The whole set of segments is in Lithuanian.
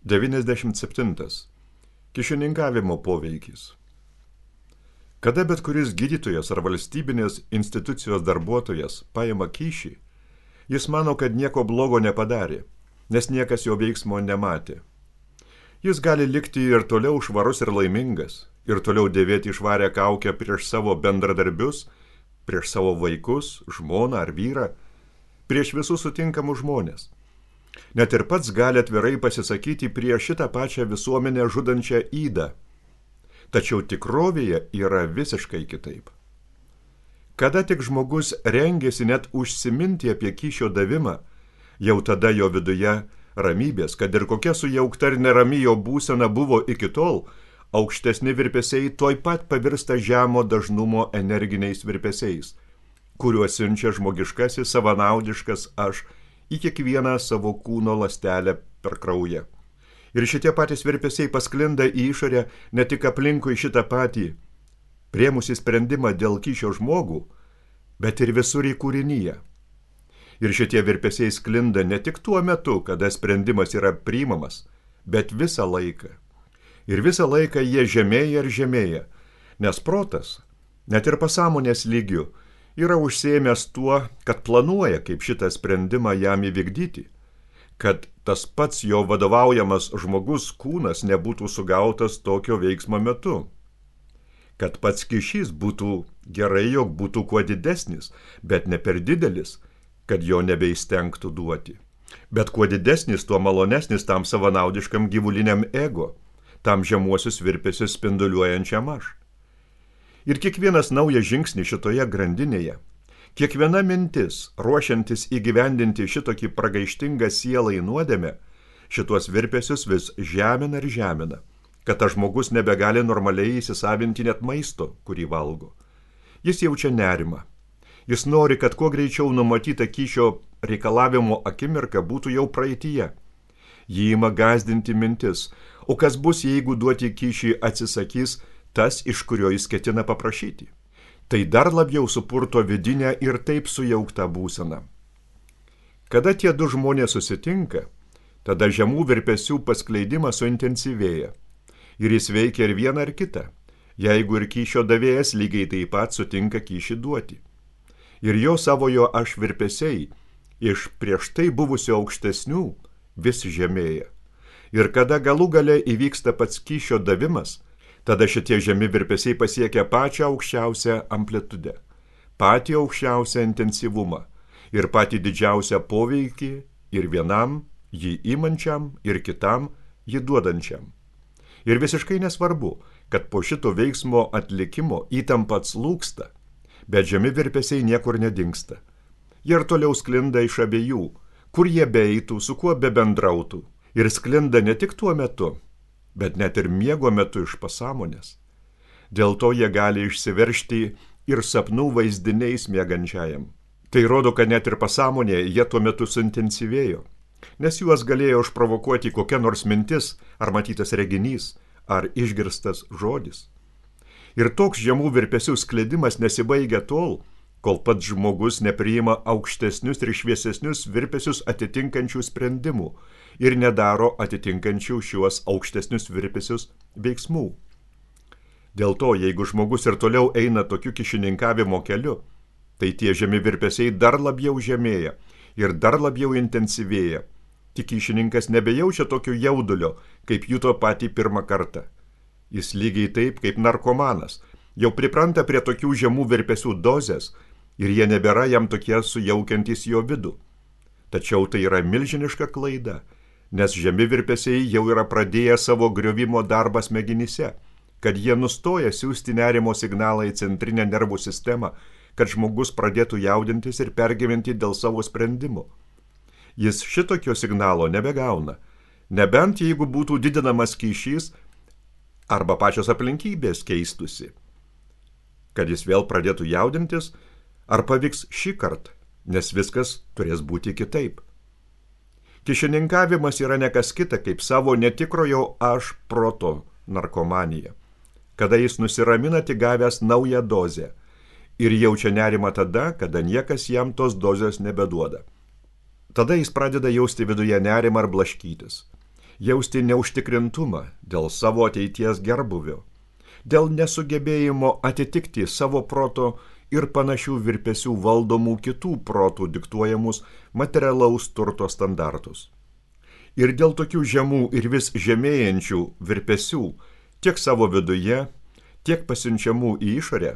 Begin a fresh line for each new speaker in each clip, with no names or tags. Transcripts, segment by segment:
97. Kyšininkavimo poveikis. Kada bet kuris gydytojas ar valstybinės institucijos darbuotojas paima kyšį, jis mano, kad nieko blogo nepadarė, nes niekas jo veiksmo nematė. Jis gali likti ir toliau švarus ir laimingas, ir toliau dėvėti švarę kaukę prieš savo bendradarbius, prieš savo vaikus, žmoną ar vyrą, prieš visus sutinkamus žmonės. Net ir pats gali atvirai pasisakyti prieš šitą pačią visuomenę žudančią ydą. Tačiau tikrovėje yra visiškai kitaip. Kada tik žmogus rengiasi net užsiminti apie kyšio davimą, jau tada jo viduje ramybės, kad ir kokia sujaukta ir nerami jo būsena buvo iki tol, aukštesni virpesiai tuoj pat pavirsta žemo dažnumo energiniais virpesiais, kuriuos siunčia žmogiškasis savanaudiškas aš į kiekvieną savo kūno ląstelę per kraują. Ir šitie patys virpesiai pasklinda į išorę ne tik aplinkui šitą patį, priėmusi sprendimą dėl kyšio žmogų, bet ir visur į kūrinyje. Ir šitie virpesiai sklinda ne tik tuo metu, kada sprendimas yra priimamas, bet visą laiką. Ir visą laiką jie žemėja ir žemėja, nes protas, net ir pasąmonės lygiu, yra užsiėmęs tuo, kad planuoja, kaip šitą sprendimą jam įvykdyti, kad tas pats jo vadovaujamas žmogus kūnas nebūtų sugautas tokio veiksmo metu, kad pats kyšys būtų gerai, jog būtų kuo didesnis, bet ne per didelis, kad jo nebeįstengtų duoti, bet kuo didesnis, tuo malonesnis tam savanaudiškam gyvuliniam ego, tam žemuosius virpesius spinduliuojančiam aš. Ir kiekvienas naujas žingsnis šitoje grandinėje, kiekviena mintis, ruošiantis įgyvendinti šitokį pragaištingą sielą į nuodėmę, šitos virpesius vis žemina ir žemina, kad tas žmogus nebegali normaliai įsisavinti net maisto, kurį valgo. Jis jaučia nerimą. Jis nori, kad kuo greičiau numatyta kyšio reikalavimo akimirka būtų jau praeityje. Jį ima gąsdinti mintis, o kas bus, jeigu duoti kyšį atsisakys tas, iš kurio jis ketina paprašyti. Tai dar labiau supurto vidinę ir taip sujauktą būseną. Kada tie du žmonės susitinka, tada žemų virpesių paskleidimas suintensyvėja. Ir jis veikia ir vieną ar kitą, jeigu ir kyšio davėjas lygiai taip pat sutinka kyšį duoti. Ir jo savojo aš virpesiai iš prieš tai buvusio aukštesnių vis žemėja. Ir kada galų gale įvyksta pats kyšio davimas, tada šitie žemi virpesiai pasiekia pačią aukščiausią amplitudę, patį aukščiausią intensyvumą ir patį didžiausią poveikį ir vienam, jį imančiam, ir kitam, jį duodančiam. Ir visiškai nesvarbu, kad po šito veiksmo atlikimo įtampa atslūgsta, bet žemi virpesiai niekur nedingsta. Jie ir toliau sklinda iš abiejų, kur jie beeitų, su kuo bebendrautų, ir sklinda ne tik tuo metu, bet net ir miego metu iš pasąmonės. Dėl to jie gali išsiveržti ir sapnų vaizdiniais miegančiajam. Tai rodo, kad net ir pasąmonėje jie tuo metu suintensyvėjo, nes juos galėjo išprovokuoti kokia nors mintis, ar matytas reginys, ar išgirstas žodis. Ir toks žemų virpesių skleidimas nesibaigia tol, kol pats žmogus nepriima aukštesnius ir šviesesnius virpesius atitinkančių sprendimų ir nedaro atitinkančių šiuos aukštesnius virpesius veiksmų. Dėl to, jeigu žmogus ir toliau eina tokiu kyšininkavimo keliu, tai tie žemi virpesiai dar labiau žemėja ir dar labiau intensyvėja. Tik kyšininkas nebejaučia tokio jaudulio, kaip juto patį pirmą kartą. Jis lygiai taip, kaip narkomanas, jau pripranta prie tokių žemų virpesių dozės ir jie nebėra jam tokie sujaukiantys jo vidų. Tačiau tai yra milžiniška klaida, nes žemi virpesiai jau yra pradėję savo griovimo darbą smegenyse, kad jie nustoja siųsti nerimo signalą į centrinę nervų sistemą, kad žmogus pradėtų jaudintis ir pergyventi dėl savo sprendimų. Jis šitokio signalo nebegauna, nebent jeigu būtų didinamas kyšys arba pačios aplinkybės keistusi, kad jis vėl pradėtų jaudintis, ar pavyks šį kartą, nes viskas turės būti kitaip. Kyšininkavimas yra nekas kita, kaip savo netikrojo aš proto narkomanija, kada jis nusiramina tik gavęs naują dozę ir jaučia nerimą tada, kada niekas jam tos dozės nebeduoda. Tada jis pradeda jausti viduje nerimą ar blaškytis. jausti neužtikrintumą dėl savo ateities gerbuvio, dėl nesugebėjimo atitikti savo proto ir panašių virpesių valdomų kitų protų diktuojamus materialaus turto standartus. Ir dėl tokių žemų ir vis žemėjančių virpesių tiek savo viduje, tiek pasiunčiamų į išorę,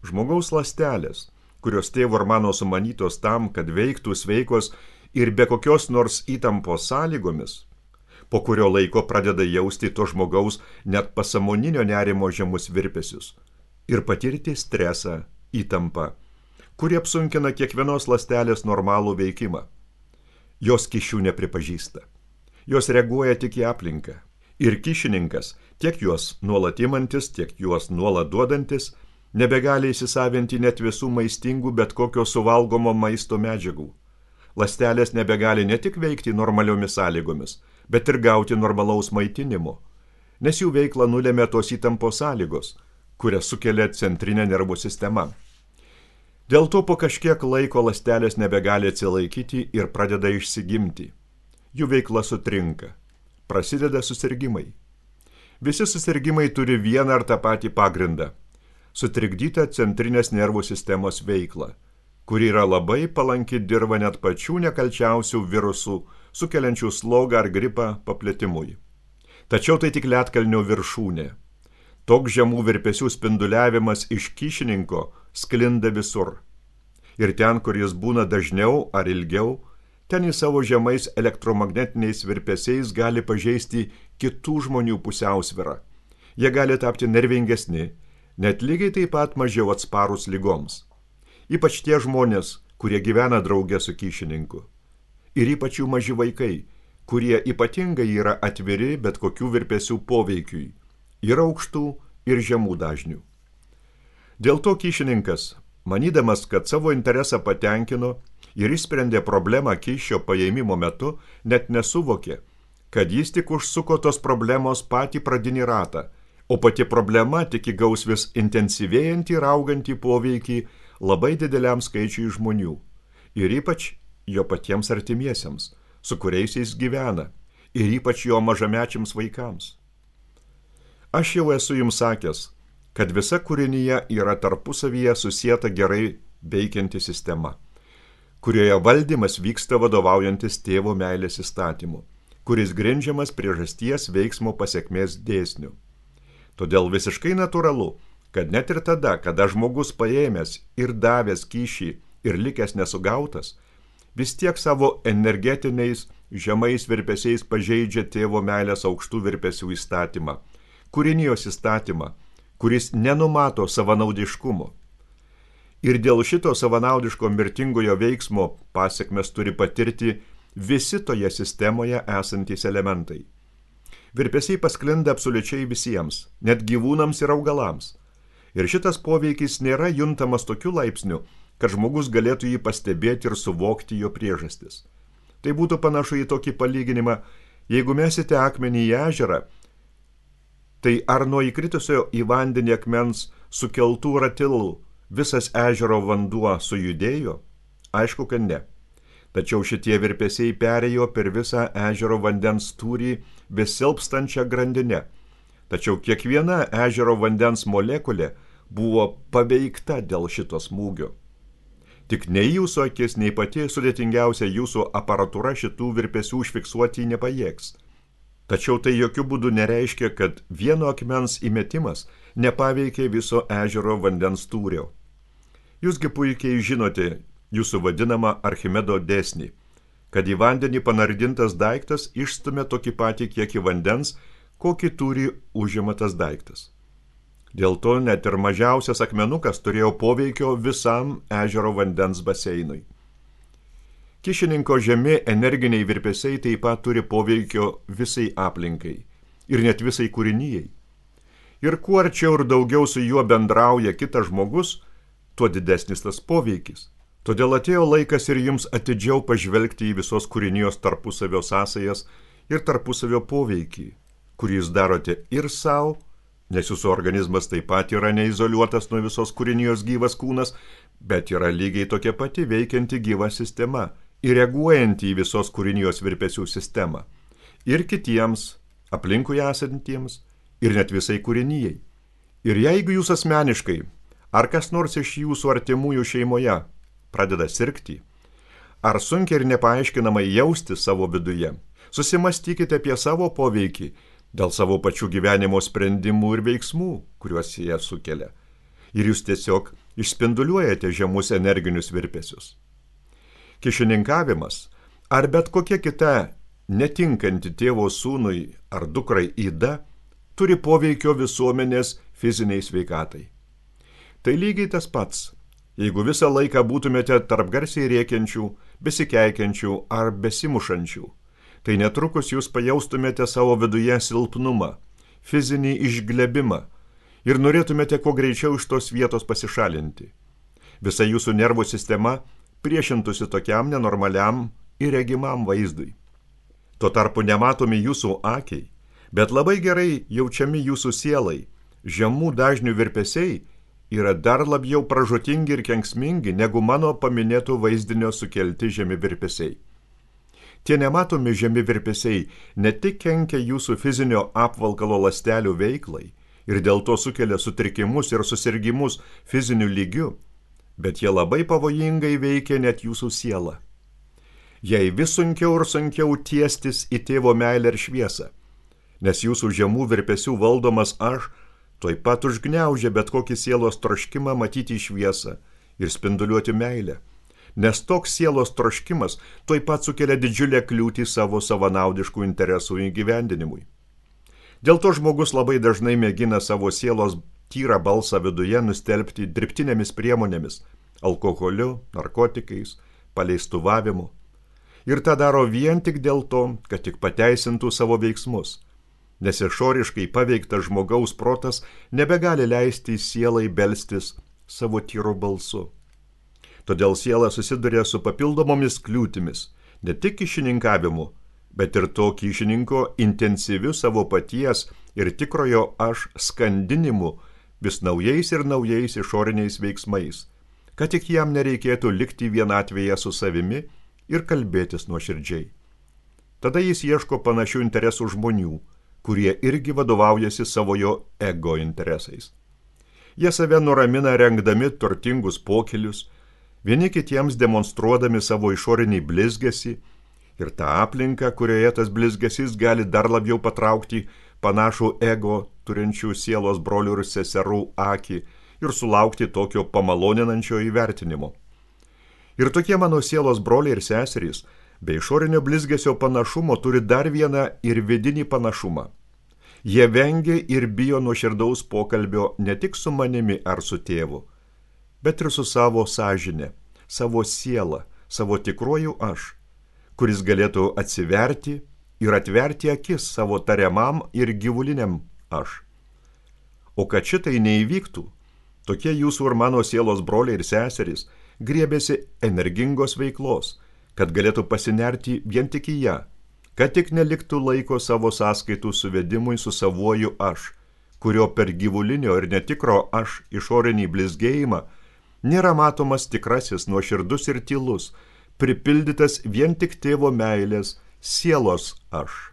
žmogaus ląstelės, kurios tėvo ir mano sumanytos tam, kad veiktų sveikos ir be kokios nors įtampos sąlygomis, po kurio laiko pradeda jausti to žmogaus net pasąmoninio nerimo žemus virpesius ir patirti stresą, įtampą, kuri apsunkina kiekvienos ląstelės normalų veikimą. Jos kyšių nepripažįsta. Jos reaguoja tik į aplinką. Ir kyšininkas, tiek juos nuolat imantis, tiek juos nuolat duodantis, nebegali įsisavinti net visų maistingų bet kokio suvalgomo maisto medžiagų. Ląstelės nebegali ne tik veikti normaliomis sąlygomis, bet ir gauti normalaus maitinimo, nes jų veiklą nulėmė tos įtampos sąlygos, kurias sukelia centrinė nervų sistema. Dėl to po kažkiek laiko ląstelės nebegali atsilaikyti ir pradeda išsigimti. Jų veikla sutrinka. Prasideda susirgimai. Visi susirgimai turi vieną ar tą patį pagrindą – sutrikdytą centrinės nervų sistemos veiklą, kuri yra labai palanki dirva net pačių nekalčiausių virusų, sukeliančių slogą ar gripą paplitimui. Tačiau tai tik ledkalnio viršūnė. Toks žemų virpesių spinduliavimas iš kyšininko sklinda visur. Ir ten, kur jis būna dažniau ar ilgiau, ten į savo žemais elektromagnetiniais virpesiais gali pažeisti kitų žmonių pusiausvyrą. Jie gali tapti nervingesni, net lygiai taip pat mažiau atsparūs ligoms. Ypač tie žmonės, kurie gyvena drauge su kyšininku. Ir ypač jų maži vaikai, kurie ypatingai yra atviri bet kokių virpesių poveikiui. Yra aukštų ir žemų dažnių. Dėl to kyšininkas, manydamas, kad savo interesą patenkino ir išsprendė problemą kyšio paėmimo metu, net nesuvokė, kad jis tik užsuko tos problemos patį pradinį ratą, o pati problema tik įgaus vis intensyvėjantį ir augantį poveikį labai dideliam skaičiui žmonių ir ypač jo patiems artimiesiems, su kuriais jis gyvena, ir ypač jo mažamečiams vaikams. Aš jau esu jums sakęs, kad visa kūrinyje yra tarpusavyje susieta gerai veikianti sistema, kurioje valdymas vyksta vadovaujantis tėvo meilės įstatymu, kuris grindžiamas priežasties veiksmo pasekmės dėsniu. Todėl visiškai natūralu, kad net ir tada, kada žmogus paėmęs ir davęs kyšį ir likęs nesugautas, vis tiek savo energetiniais žemais virpesiais pažeidžia tėvo meilės aukštų virpesių įstatymą, kūrinijos įstatymą, kuris nenumato savanaudiškumo. Ir dėl šito savanaudiško mirtingojo veiksmo pasekmes turi patirti visi toje sistemoje esantys elementai. Virpesiai pasklinda absoliučiai visiems, net gyvūnams ir augalams. Ir šitas poveikis nėra juntamas tokiu laipsniu, kad žmogus galėtų jį pastebėti ir suvokti jo priežastis. Tai būtų panašu į tokį palyginimą, jeigu mesite akmenį į ežerą, tai ar nuo įkritusio į vandenį akmens sukeltų ratilų visas ežero vanduo sujudėjo? Aišku, kad ne. Tačiau šitie virpesiai perėjo per visą ežero vandens tūrį besilpstančią grandinę. Tačiau kiekviena ežero vandens molekulė buvo paveikta dėl šito smūgio. Tik nei jūsų akis, nei pati sudėtingiausia jūsų aparatūra šitų virpesių užfiksuoti nepajėgs. Tačiau tai jokių būdų nereiškia, kad vieno akmens įmetimas nepaveikė viso ežero vandens tūrio. Jūsgi puikiai žinote jūsų vadinamą Archimedo dėsnį, kad į vandenį panardintas daiktas išstumia tokį patį kiekį vandens, kokį turi užima tas daiktas. Dėl to net ir mažiausias akmenukas turėjo poveikio visam ežero vandens baseinui. Kyšininko žemi energiniai virpesiai taip pat turi poveikio visai aplinkai ir net visai kūrinijai. Ir kuo arčiau ir daugiau su juo bendrauja kitas žmogus, tuo didesnis tas poveikis. Todėl atėjo laikas ir jums atidžiau pažvelgti į visos kūrinijos tarpusavio sąsajas ir tarpusavio poveikį, kurį jūs darote ir savo, nes jūsų organizmas taip pat yra neizoliuotas nuo visos kūrinijos gyvas kūnas, bet yra lygiai tokia pati veikianti gyva sistema ir reaguojanti į visos kūrinijos virpesių sistemą. ir kitiems, aplinkui esantiems, ir net visai kūrinijai. Ir jeigu jūs asmeniškai, ar kas nors iš jūsų artimųjų šeimoje pradeda sirgti, ar sunkiai ir nepaaiškinamai jausti savo viduje, susimastykite apie savo poveikį dėl savo pačių gyvenimo sprendimų ir veiksmų, kuriuos jie sukelia. Ir jūs tiesiog išspinduliuojate žemus energinius virpesius. Kyšininkavimas ar bet kokia kita netinkanti tėvo sūnui ar dukrai yda turi poveikio visuomenės fiziniai sveikatai. Tai lygiai tas pats, jeigu visą laiką būtumėte tarp garsiai rėkiančių, besikeikiančių ar besimušančių, tai netrukus jūs pajaustumėte savo viduje silpnumą, fizinį išglebimą ir norėtumėte kuo greičiau iš tos vietos pasišalinti. Visa jūsų nervų sistema priešintųsi tokiam nenormaliam ir regimam vaizdui. Tuo tarpu nematomi jūsų akiai, bet labai gerai jaučiami jūsų sielai, žemų dažnių virpesiai yra dar labiau pražūtingi ir kenksmingi negu mano paminėtų vaizdinio sukelti žemi virpesiai. Tie nematomi žemi virpesiai ne tik kenkia jūsų fizinio apvalkalo ląstelių veiklai ir dėl to sukelia sutrikimus ir susirgimus fiziniu lygiu, bet jie labai pavojingai veikia net jūsų sielą. Jei vis sunkiau ir sunkiau tiestis į tėvo meilę ir šviesą, nes jūsų žemų virpesių valdomas aš tuoj pat užgniaužia bet kokį sielos troškimą matyti šviesą ir spinduliuoti meilę, nes toks sielos troškimas tuoj pat sukelia didžiulę kliūtį savo savanaudiškų interesų įgyvendinimui. Dėl to žmogus labai dažnai mėgina savo sielos tyrą balsą viduje nustelbti dirbtinėmis priemonėmis, alkoholiu, narkotikais, paleistuvavimu. Ir tą daro vien tik dėl to, kad tik pateisintų savo veiksmus, nes išoriškai paveiktas žmogaus protas nebegali leisti sielai belstis savo tyru balsu. Todėl siela susiduria su papildomomis kliūtimis, ne tik kyšininkavimu, bet ir to kyšininko intensyviu savo paties ir tikrojo aš skandinimu vis naujais ir naujais išoriniais veiksmais, kad tik jam nereikėtų likti vienatvėje su savimi ir kalbėtis nuoširdžiai. Tada jis ieško panašių interesų žmonių, kurie irgi vadovaujasi savojo ego interesais. Jie save nuramina rengdami turtingus pokylius, vieni kitiems demonstruodami savo išorinį blizgesį ir tą aplinką, kurioje tas blizgesys gali dar labiau patraukti panašų ego turinčių sielos brolių ir seserų akį ir sulaukti tokio pamaloninančio įvertinimo. Ir tokie mano sielos broliai ir seserys, be išorinio blizgesio panašumo turi dar vieną ir vidinį panašumą. Jie vengia ir bijo nuoširdaus pokalbio ne tik su manimi ar su tėvu, bet ir su savo sąžine, savo siela, savo tikruoju aš, kuris galėtų atsiverti ir atverti akis savo tariamam ir gyvuliniam aš. O kad šitai neįvyktų, tokie jūsų ir mano sielos broliai ir seserys griebėsi energingos veiklos, kad galėtų pasinerti vien tik į ją, kad tik neliktų laiko savo sąskaitų suvedimui su savuoju aš, kurio per gyvulinio ir netikro aš išorinį blizgėjimą nėra matomas tikrasis nuoširdus ir tylus, pripildytas vien tik tėvo meilės sielos aš.